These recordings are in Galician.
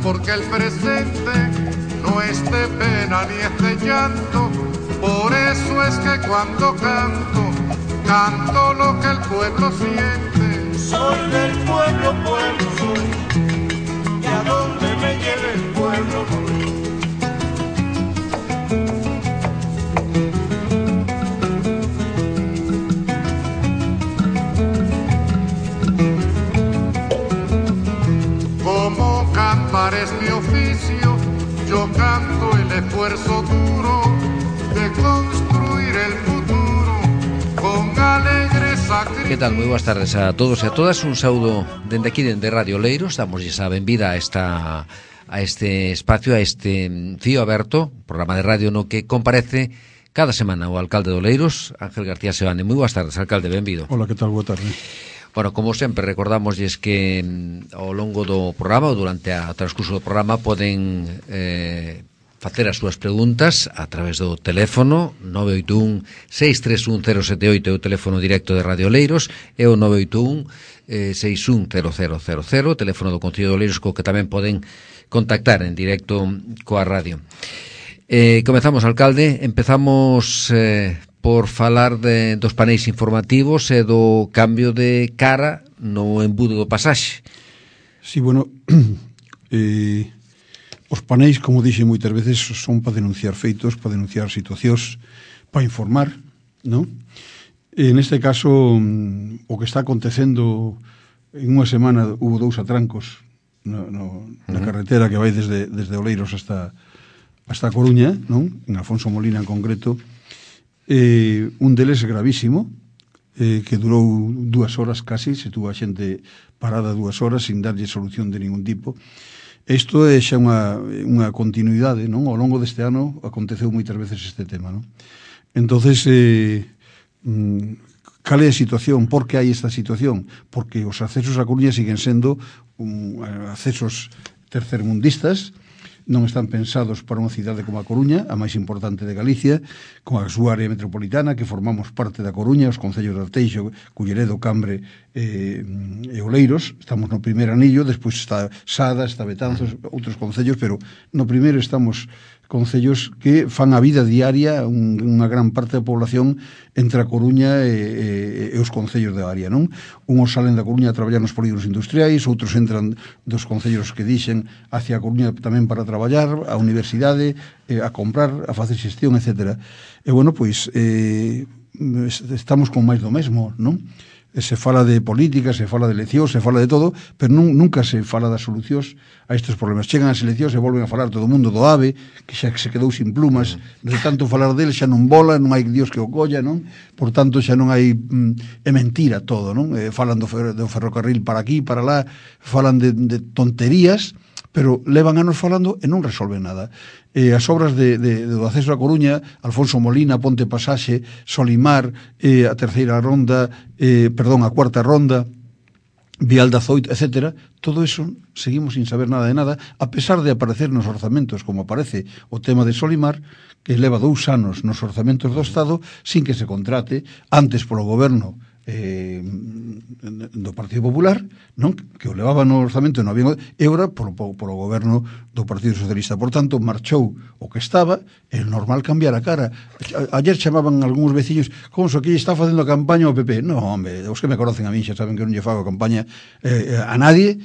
porque el presente no es de pena ni es de llanto. Por eso es que cuando canto, canto lo que el pueblo siente. Soy del pueblo, pueblo soy, y a donde me lleve el pueblo voy. Como cantar es mi oficio, yo canto el esfuerzo duro de construir el futuro con alegre sacrificio. Que tal? Moi boas tardes a todos e a todas. Un saúdo dende aquí, dende Radio Leiros. Damoslle a benvida a este espacio, a este fío aberto, programa de radio no que comparece cada semana o alcalde do Leiros, Ángel García Sebane. Moi boas tardes, alcalde, benvido. Hola, que tal? Boa tarde. Bueno, como sempre, recordamosles que ao longo do programa ou durante o transcurso do programa poden facer as súas preguntas a través do teléfono 981-631-078, o teléfono directo de Radio Leiros, e o 981-610000, teléfono do Concello de Leiros, co que tamén poden contactar en directo coa radio. Comezamos, alcalde, empezamos por falar dos paneis informativos e do cambio de cara no embudo do pasaxe. Sí, bueno, os paneis, como dixe moitas veces, son para denunciar feitos, para denunciar situacións, para informar, non? En este caso, o que está acontecendo, en unha semana hubo 2 atrancos na carretera que vai desde Oleiros hasta a Coruña, non? En Alfonso Molina en concreto. Un deles gravísimo, que durou 2 horas casi, se tuvo a xente parada 2 horas sin darlle solución de ningún tipo. Isto é xa unha continuidade, non? Ao longo deste ano aconteceu moitas veces este tema, non? Entonces, cal é a situación? Por que hai esta situación? Porque os accesos a Coruña siguen sendo accesos tercermundistas, non están pensados para unha cidade como a Coruña, a máis importante de Galicia, con a súa área metropolitana, que formamos parte da Coruña, os concellos de Arteixo, Culleredo, Cambre e Oleiros. Estamos no primeiro anillo, despois está Sada, está Betanzos, outros concellos, pero no primeiro estamos concellos que fan a vida diaria unha gran parte da población entre a Coruña e os concellos da área, non? Unhos salen da Coruña a traballar nos polígonos industriais, outros entran dos concellos que dixen hacia a Coruña tamén para traballar, a universidade, a comprar, a facer xestión, etc. E, bueno, pois, estamos con máis do mesmo, non? Se fala de política, se fala de eleccións, se fala de todo, pero nunca se fala das solucións a estes problemas. Chegan as eleccións e volven a falar todo o mundo do AVE, que xa se quedou sin plumas, de tanto falar dele xa non vola, non hai Dios que o colla, non? Por tanto, xa non hai... é mentira todo, non? Falan do ferrocarril para aquí, para lá, falan de tonterías, pero levan anos falando e non resolven nada. As obras do acceso a Coruña, Alfonso Molina, Ponte Pasaxe, Solimar, a terceira ronda, a cuarta ronda, Vial da Zoito, etc. Todo eso seguimos sin saber nada de nada, a pesar de aparecer nos orzamentos, como aparece o tema de Solimar, que leva 2 anos nos orzamentos do Estado, sin que se contrate, antes polo goberno do Partido Popular, non? Que o levaba no orzamento, non había, e ora polo goberno do Partido Socialista. Por tanto, marchou o que estaba, é normal cambiar a cara. Ayer chamaban algúns veciños, como se aquí está facendo campaña o PP. Non, home, os que me conocen a mí xa saben que non lle fago campaña a nadie,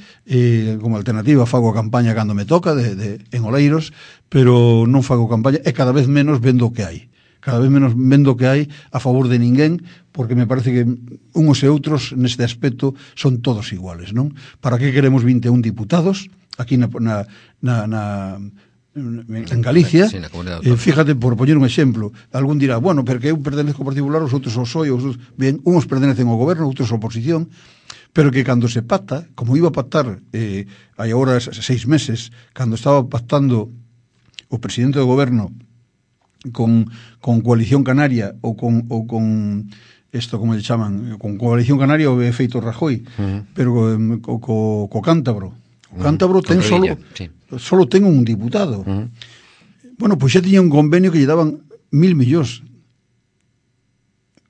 como alternativa fago a campaña cando me toca en Oleiros, pero non fago campaña, e cada vez menos vendo o que hai. Cada vez menos vendo que hai a favor de ninguén, porque me parece que uns e outros neste aspecto son todos iguales, non? Para que queremos 21 diputados aquí en Galicia? Sí, fíjate, por poñer un exemplo, algún dirá, bueno, porque eu pertenezco ao Partido Popular, os outros ao PSOE, bien, uns pertenecen ao goberno, outros á oposición, pero que cando se pacta, como iba a pactar hai agora 6 meses, cando estaba pactando o presidente do goberno con Coalición Canaria ou con isto, como lle chaman, con Coalición Canaria o efeito Rajoy, pero co Cántabro. O Cántabro ten solo ten un diputado. Bueno, pois xa tiña un convenio que lle daban 1.000 millóns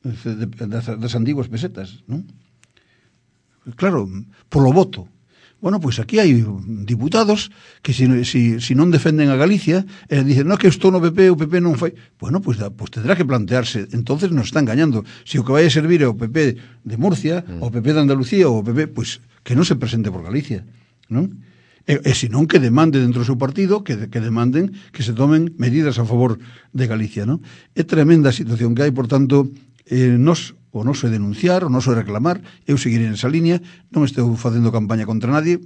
das antiguas pesetas, non? Claro, polo voto. Bueno, pois aquí hai diputados que si non defenden a Galicia, dicen, no, que estou no PP, o PP non fai. Bueno, pois tendrá que plantearse, entonces nos está engañando. Si o que vai a servir é o PP de Murcia, o PP de Andalucía, ou o PP, pois que non se presente por Galicia, non? E senón que demande dentro do seu partido, que demanden que se tomen medidas a favor de Galicia, non? É tremenda a situación que hai, por tanto, o noso é denunciar, o noso é reclamar, eu seguirei nesa línea, non estou facendo campaña contra nadie,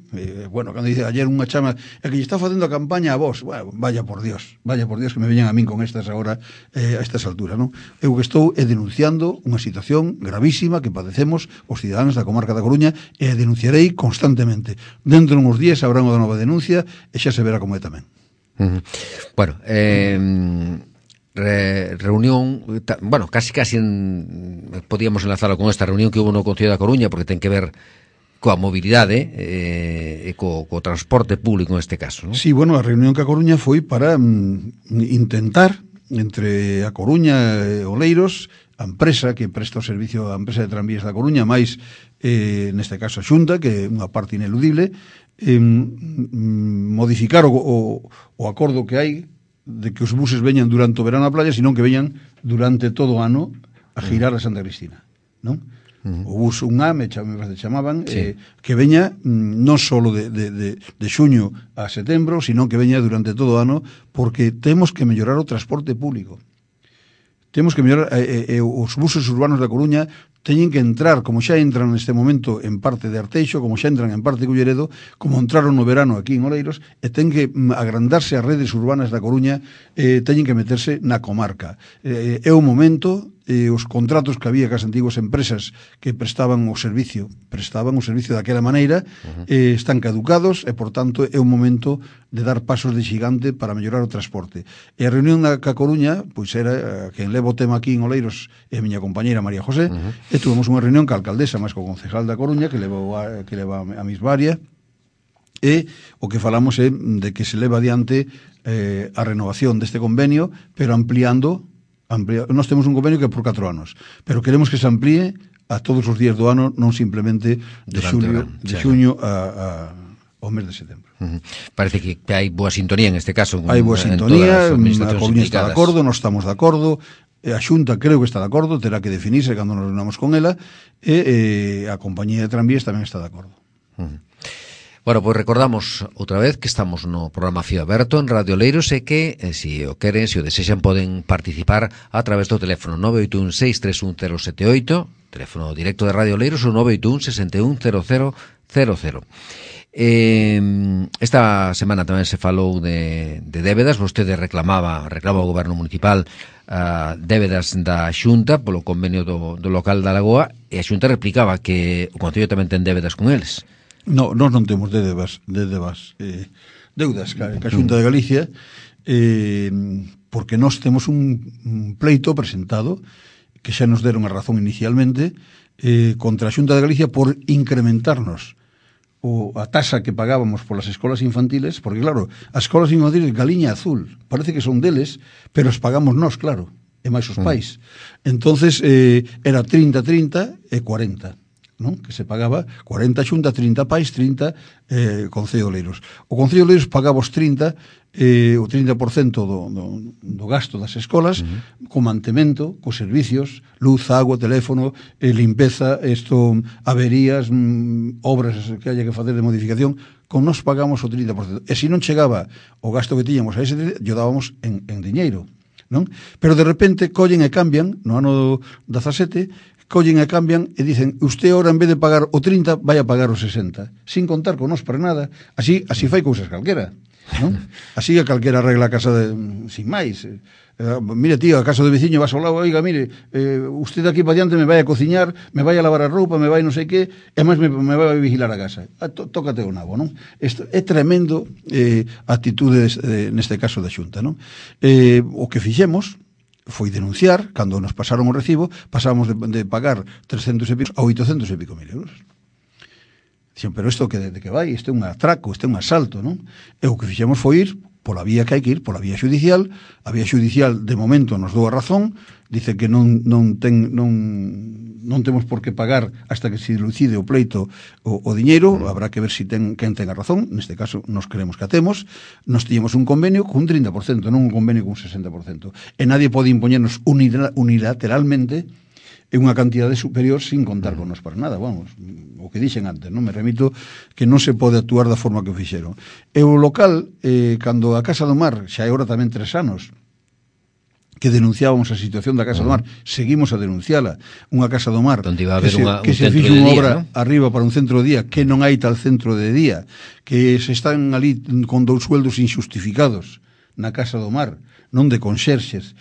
bueno, cando dice ayer unha chama, é que lle está facendo a campaña a vos, bueno, vaya por Dios que me veñan a min con estas agora, a estas alturas, non? Eu que estou é denunciando unha situación gravísima que padecemos os cidadáns da comarca da Coruña e denunciarei constantemente. Dentro de uns días habrá unha nova denuncia e xa se verá como é tamén. Bueno, reunión, bueno, casi podíamos enlazarlo con esta reunión que hubo no Concello da Coruña, porque ten que ver coa mobilidade e co transporte público neste caso, non? Sí, bueno, a reunión que a Coruña foi para intentar entre a Coruña e Oleiros, a empresa que presta o servicio, a empresa de tranvías da Coruña, máis neste caso a Xunta, que é unha parte ineludible, modificar o acordo que hai de que os buses veñan durante o verano á playa, senón que veñan durante todo o ano a girar a Santa Cristina, non? O bus UNA, me chamaban, sí. Que veña non só de xuño a setembro, senón que veña durante todo o ano, porque temos que mellorar o transporte público. Temos que mellorar, os buses urbanos da Coruña teñen que entrar, como xa entran neste momento en parte de Arteixo, como xa entran en parte de Culleredo, como entraron no verano aquí en Oleiros, e ten que agrandarse as redes urbanas da Coruña, teñen que meterse na comarca. É o momento, os contratos que había cas antiguas empresas que prestaban o servicio daquela maneira, están caducados e, por tanto, é o momento de dar pasos de xigante para mellorar o transporte. E a reunión da Coruña, pois era quen leva o tema aquí en Oleiros é a miña compañeira María José, e tuvemos unha reunión ca alcaldesa, máis co concejal da Coruña, que leva a mesma área, e o que falamos é de que se leva adiante a renovación deste convenio, pero ampliando. Nós temos un convenio que é por 4 anos, pero queremos que se amplíe a todos os días do ano, non simplemente de xuño ao mes de setembro. Parece que hai boa sintonía en este caso. Hai boa sintonía, a Coruña está de acordo, nós estamos de acordo, a Xunta creo que está de acordo, terá que definirse cando nos reunamos con ela, e a compañía de tranvías tamén está de acordo. Bueno, pois recordamos outra vez que estamos no programa Fío Aberto en Radio Oleiros e que, se o queren, se o desexan, poden participar a través do teléfono 981-631-078, teléfono directo de Radio Oleiros, ou 981-610000. Esta semana tamén se falou de débedas. Vostede reclamaba ao goberno municipal débedas da Xunta polo convenio do local da Lagoa, e a Xunta replicaba que o Concello tamén ten débedas con eles. No, nós non temos deudas ca Xunta de Galicia, porque nós temos un pleito presentado que xa nos deron a razón inicialmente contra a Xunta de Galicia por incrementarnos a tasa que pagábamos polas escolas infantiles, porque claro, as escolas infantiles Galiña Azul, parece que son deles, pero os pagamos nós, claro, e máis os pais. Entonces era 30-30 e 40. Non? Que se pagaba 40 Xunta, 30 pais, 30 Concello de Oleiros. O Concello de Oleiros pagaba os 30, o 30% do gasto das escolas, co mantemento, cos servicios, luz, agua, teléfono, limpeza, averías, obras que haya que facer de modificación, con nos pagamos o 30%. E se non chegaba o gasto que tiñamos a ese, yo dábamos en diñeiro, non? Pero de repente collen e cambian, no ano 17, collen e cambian e dicen, usted ahora en vez de pagar o 30 vai a pagar o 60, sin contar con nos para nada. Así fai cousas calquera, non? Así a calquera arregla a casa sin máis. Mire, tío, a casa do veciño vas ao lado, oiga, mire, usted aquí para diante me vai a cociñar, me vai a lavar a roupa, me vai non sei que, e máis me vai a vigilar a casa. Tócate o nabo, non? Isto é tremendo a actitude neste caso da Xunta, non? O que fixemos foi denunciar, cando nos pasaron o recibo, pasamos de pagar 300 e pico a 800 e pico mil euros. Dixen, pero isto de que vai? Isto é un atraco, isto é un asalto, non? E o que fixemos foi ir pola vía que hai que ir, pola vía xudicial. A vía xudicial, de momento, nos dou a razón, dice que non temos por que pagar hasta que se dilucide o pleito o diñeiro. Habrá que ver si quen ten a razón. Neste caso, nos queremos que a temos. Nos tiñemos un convenio cun 30%, non un convenio cun 60%. E nadie pode impoñernos unilateralmente en unha cantidade superior sin contar con nos para nada. Vamos, o que dixen antes, non me remito que non se pode actuar da forma que o fixeron. E o local, cando a Casa do Mar, xa é hora tamén 3 anos, que denunciábamos a situación da Casa do Mar, seguimos a denunciala. Unha Casa do Mar que se fixe unha obra, ¿no?, arriba para un centro de día, que non hai tal centro de día, que se están ali con 2 sueldos injustificados na Casa do Mar, non de conxerxes,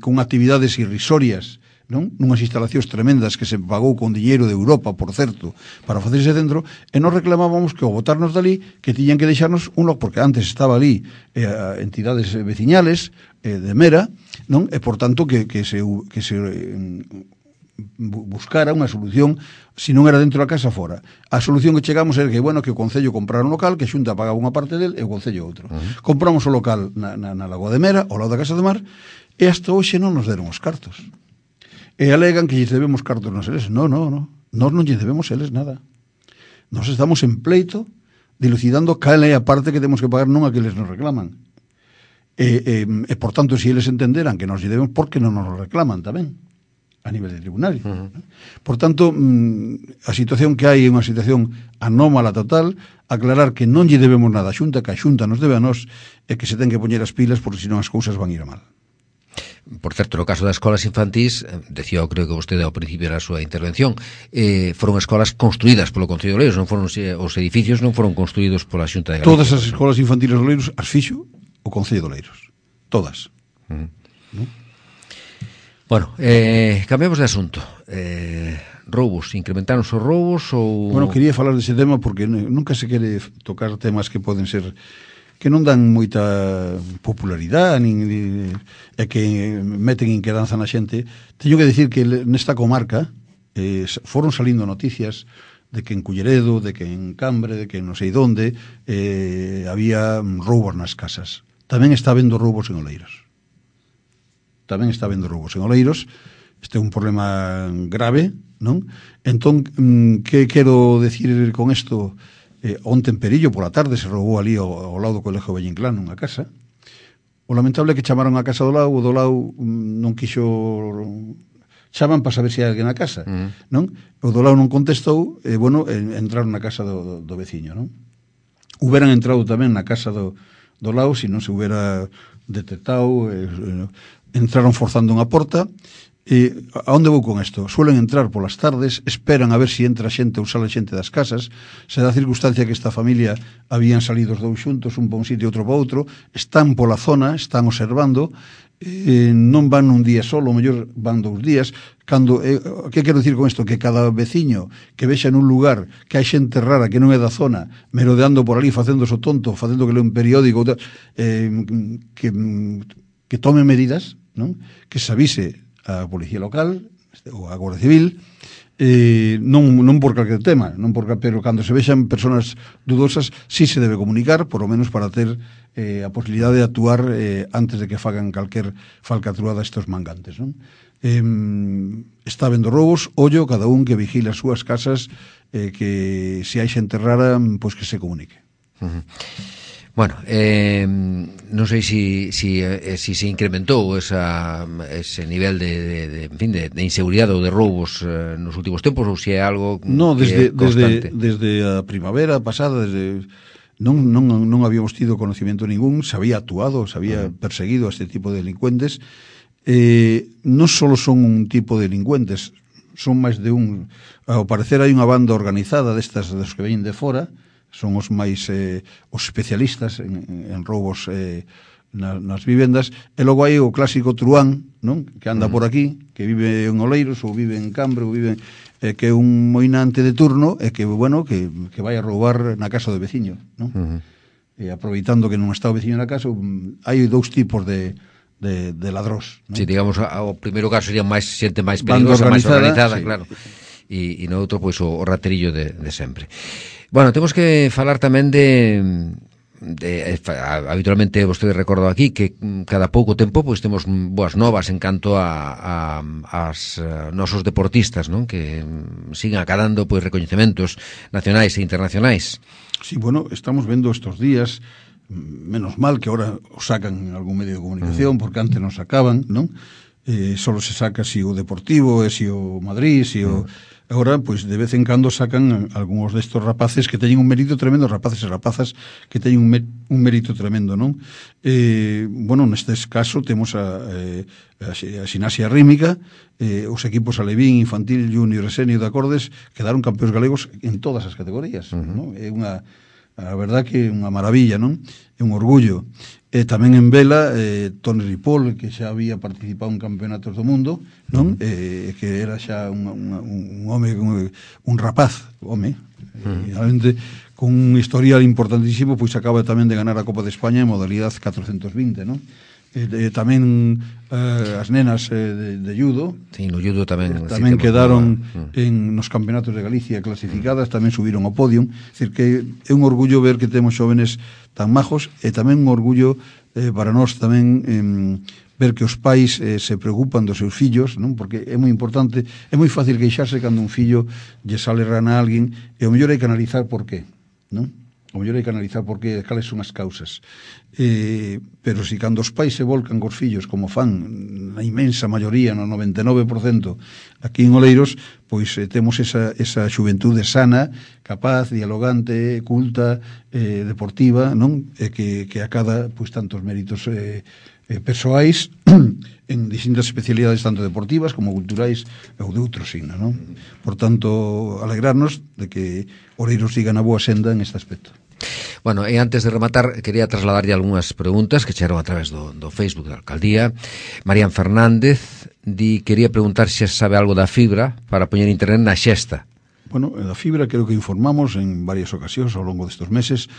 con actividades irrisorias, non? Nunhas instalacións tremendas que se pagou con diñeiro de Europa, por certo, para facer ese centro, e nos reclamábamos que ao botarnos dali, que tiñan que deixarnos un local, porque antes estaba ali entidades veciñales de Mera, non? E por tanto que se buscara unha solución, se non era dentro da casa, fora. A solución que chegamos era que, bueno, que o Concello comprara un local, que a Xunta pagaba unha parte del e o Concello outro. Compramos o local na Lagoa de Mera, ao lado da Casa do Mar, e hasta hoxe non nos deron os cartos. E alegan que lles debemos cartos nos eles. No. Nós non lles debemos eles nada. Nós estamos en pleito dilucidando cal é a parte que temos que pagar, non a que eles nos reclaman. E por tanto, se eles entenderan que nos lle debemos, por que non nos reclaman tamén a nivel de tribunal. Por tanto, a situación que hai é unha situación anómala total. Aclarar que non lle debemos nada a Xunta, que a Xunta nos debe a nós, e que se ten que poñer as pilas, porque senón as cousas van ir a mal. Por certo, no caso das escolas infantís, decía, creo que vostede ao principio da súa intervención, foron escolas construídas polo Concello de Oleiros, non foron, os edificios non foron construídos pola Xunta de Galicia. Todas as escolas infantiles de Oleiros as fixo o Concello de Oleiros. Todas. ¿No? Bueno, cambiamos de asunto. Roubos, incrementaron os roubos ou... Bueno, quería falar dese tema porque nunca se quere tocar temas que poden ser... que non dan moita popularidade e que meten inquedanza na xente. Teño que dicir que nesta comarca foron salindo noticias de que en Culleredo, de que en Cambre, de que non sei onde había roubos nas casas. Tamén está habendo roubos en Oleiros. Este é un problema grave, non? Entón, que quero decir con isto? Onte en Perillo, pola tarde, se roubou ali ao lado do Colegio Vallinclán nunha casa. O lamentable é que chamaron a casa do lado, o do lado non quixo... Chaman para saber se hai alguén na casa, non? O do lado non contestou, e, bueno, entraron na casa do veciño, non? Huberan entrado tamén na casa do lado, se non se hubera detectado, entraron forzando unha porta. A onde vou con isto? Suelen entrar polas tardes, esperan a ver se entra xente ou sale xente das casas. Se dá circunstancia que esta familia habían salido os dous xuntos, un para un sitio e outro para outro, están pola zona, están observando, non van un día solo, o mellor van 2 días. Que quero dicir con isto? Que cada veciño que vexa nun lugar que hai xente rara que non é da zona, merodeando por ali, facéndose o tonto, facendo que lea un periódico, que tome medidas, non? Que se avise a Policía Local ou a Guardia Civil, non por calquer tema, pero cando se vexan persoas dudosas, sí se debe comunicar, por lo menos para ter a posibilidade de actuar antes de que fagan calquer falcatruada estos mangantes, non? Está habendo roubos, ollo, cada un que vigile as súas casas, que se hai xente rara, pois que se comunique. Bueno, non sei se incrementou ese nivel de inseguridade ou de roubos nos últimos tempos, ou se é algo constante. Desde a primavera pasada, non habíamos tido conocimiento ningún, se había actuado, se había perseguido a este tipo de delincuentes. Non só son un tipo de delincuentes, son máis de un. Ao parecer hai unha banda organizada destas dos que veñen de fora, son os máis os especialistas en roubos nas vivendas, e logo hai o clásico truán, non? Que anda por aquí, que vive en Oleiros ou vive en Cambre ou vive que é un moinante de turno e que, bueno, que vai a roubar na casa do veciño, non? E aproveitando que non está o veciño na casa, hai 2 tipos de ladrós, non? Si, digamos, o primeiro caso sería máis xente máis perigosa, máis organizada, sí. Claro. E no outro, pois, o raterillo de sempre. Bueno, temos que falar tamén de habitualmente vostede recordou aquí que cada pouco tempo pois temos boas novas en canto a nosos deportistas, non? Que siguen acadando pois recoñecementos nacionais e internacionais. Sí, bueno, estamos vendo estos días, menos mal que ahora o sacan en algún medio de comunicación, porque antes non sacaban, non? Solo se saca si o Deportivo, si o Madrid, si o... Agora, pois, de vez en cando sacan algúns destos rapaces que teñen un mérito tremendo, rapaces e rapazas que teñen un mérito tremendo, non? Bueno, nestes caso temos a ximnasia rítmica, os equipos alevín, infantil, junior e senior de acordes quedaron campeóns galegos en todas as categorías, non? É unha, a verdad que é unha maravilla, non? É un orgullo. Tamén en vela, Toni Ripoll, que xa había participado en campeonatos do mundo, non? Que era xa un home, un rapaz, home, realmente con un historial importantísimo, pois acaba tamén de ganar a Copa de España en modalidade 420, non? Tamén as nenas de judo, sí, no judo tamén quedaron nos campeonatos de Galicia clasificadas, tamén subiron ao podium. É dicir, que é un orgullo ver que temos xóvenes tan majos, e tamén un orgullo para nós tamén ver que os pais se preocupan dos seus fillos, non? Porque é moi importante, é moi fácil queixarse cando un fillo lle sale rana a alguén, e o mellor hai que analizar por qué, non? O mellor hai que analizar por qué, cales son as causas. Pero si cando os pais se volcan cos fillos, como fan na inmensa maioría, no 99% aquí en Oleiros, pois temos esa xuventude sana, capaz, dialogante, culta, deportiva, non? Que acada pois tantos méritos persoais en distintas especialidades, tanto deportivas como culturais ou de outro signo, non? Por tanto, alegrarnos de que Oleiros siga na boa senda en este aspecto. Bueno, e antes de rematar, quería trasladarlle algunhas preguntas que chegaron a través do Facebook da Alcaldía. Marían Fernández quería preguntar se sabe algo da fibra para poñer internet na Xesta. Bueno, da fibra creo que informamos en varias ocasións ao longo destes meses.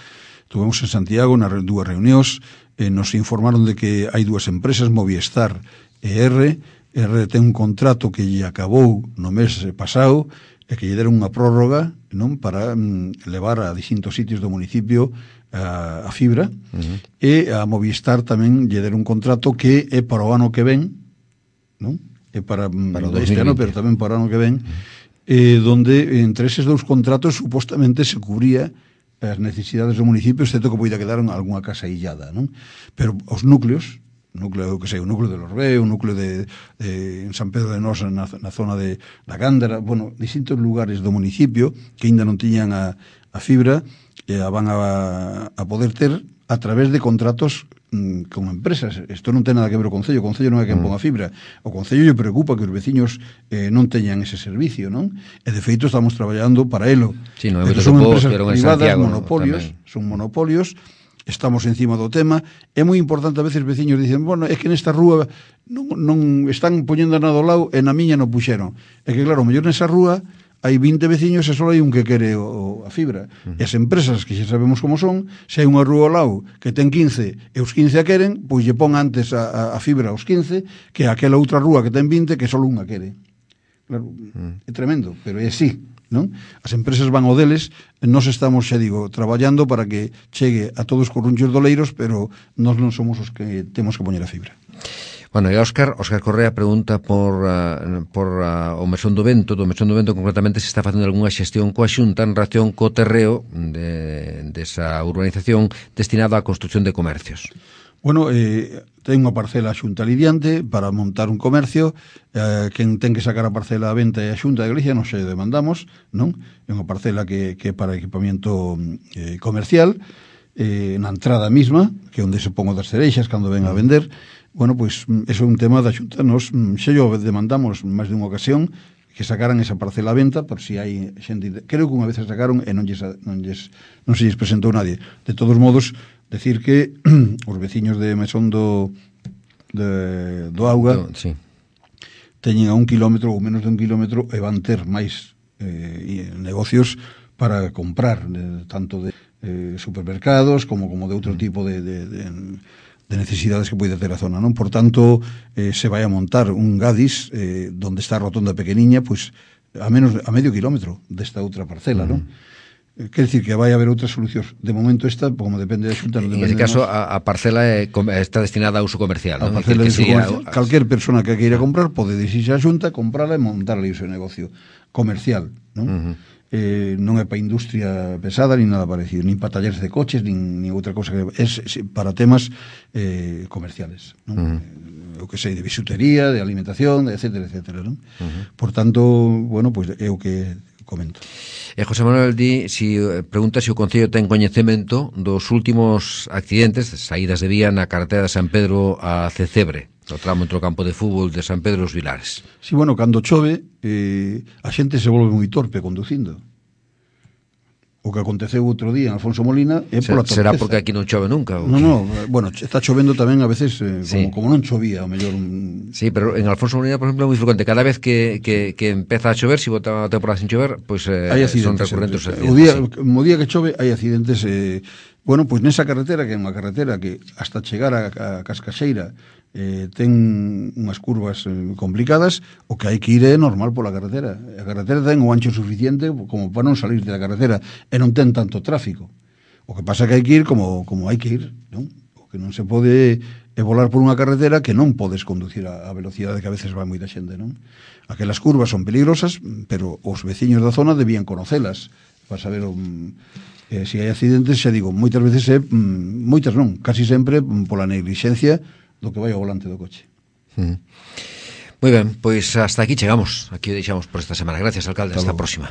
Tuvemos en Santiago nas dúas reunións, nos informaron de que hai dúas empresas, Movistar e R ten un contrato que lle acabou no mes pasado e que lle deron unha prórroga, non, para levar a distintos sitios do municipio a fibra, e a Movistar tamén lle deron un contrato que é para o ano que ven, non? É para este ano, pero tamén para o ano que ven, donde entre eses dous contratos supostamente se cubría as necesidades do municipio, excepto que poida quedar algunha casa illada, non? Pero os núcleos, o núcleo de Lorbé, o núcleo de en San Pedro de Nosa, na zona da Gándara, bueno, distintos lugares do municipio que ainda non tiñan a fibra, a van a poder ter a través de contratos con empresas. Isto non ten nada que ver o Concello non é quen pon a fibra. O Concello lle preocupa que os veciños non teñan ese servicio, non? E de feito estamos traballando para elo. Sí, no, pero son empresas privadas, son monopolios. Estamos encima do tema. É moi importante, a veces veciños dicen, bueno, é que nesta rúa non están poñendo nada ao lado e na miña non puxeron. É que claro, mellor nesa rúa hai 20 veciños e só hai un que quere a fibra. E as empresas, que xa sabemos como son, se hai unha rúa ao lado que ten 15 e os 15 a queren, pois lle pon antes a fibra aos 15 que aquela outra rúa que ten 20 que só unha quere. Claro, é tremendo, pero é así, non? As empresas van ao deles, nós estamos, xa digo, traballando para que chegue a todos os corrunchos doleiros, pero nós non somos os que temos que poñer a fibra. Bueno, e Óscar Correa pregunta por o Mesón do Vento, concretamente se está facendo algunha xestión coa Xunta en relación co terreo desa urbanización destinada á construcción de comercios. Bueno, ten unha parcela a Xunta lidiante para montar un comercio, quen ten que sacar a parcela a venta é a Xunta de Galicia, nos xa demandamos, non? É unha parcela que é para equipamiento comercial, na entrada mesma, que é onde se pon o das cereixas cando ven a vender. Bueno, pois, eso é un tema da Xunta. Nos xa yo demandamos máis dunha ocasión que sacaran esa parcela a venta, por si hai xente... Creo que unha vez a sacaron e non se lles presentou nadie. De todos modos, decir que os veciños de Mesón do Auga teñen a 1 kilómetro ou menos de 1 kilómetro e van ter máis negocios para comprar, tanto de supermercados como de outro tipo de necesidades que pode ter a zona, non? Por tanto, se vai a montar un Gadis donde está a rotonda pequeniña, pois a medio kilómetro desta outra parcela, non? Quer dicir que vai haber outras solucións. De momento esta, como depende da Xunta, non depende. En ese caso, a parcela está destinada a uso comercial, A non? parcela de uso comercial. Calquer persona que queira comprar pode dirixirse á Xunta, comprala e montar ali o seu negocio comercial, non? Non é para industria pesada, nin nada parecido, nin para talleres de coches, nin outra cosa que é para temas comerciales, non? O que sei, de bisutería, de alimentación, etcétera, etcétera, non? Por tanto, bueno, pois é o que comento. José Manuel pregunta se o Concello ten coñecemento dos últimos accidentes, saídas de vía na carretera de San Pedro a Cecebre, no tramo entre o campo de fútbol de San Pedro e os Vilares. Sí, bueno, cando chove, a xente se volve moi torpe conducindo. O que aconteceu outro día en Alfonso Molina é pola torpeza. Será porque aquí non chove nunca? No, bueno, está chovendo tamén a veces como non chovía, ao mellor. Sí, pero en Alfonso Molina, por exemplo, é moi frecuente. Cada vez que empeza a chover, se bota a temporada sin chover, pois son recurrentes os accidentes. O día que chove hai accidentes. Bueno, pois nesa carretera, que é unha carretera que hasta chegar a Cascaxeira ten unhas curvas complicadas, o que hai que ir é normal pola carretera. A carretera ten o ancho suficiente como para non salir da carretera e non ten tanto tráfico. O que pasa é que hai que ir como hai que ir, non? O que non se pode é volar por unha carretera que non podes conducir a velocidade que a veces vai moita xente, non? Aquelas curvas son peligrosas, pero os veciños da zona debían conocelas para saber se hai accidentes, xa digo, moitas veces moitas non, casi sempre pola neglixencia do que vai ao volante do coche. Moi ben, pois hasta aquí chegamos. Aquí o deixamos por esta semana. Gracias, alcalde. Hasta a próxima.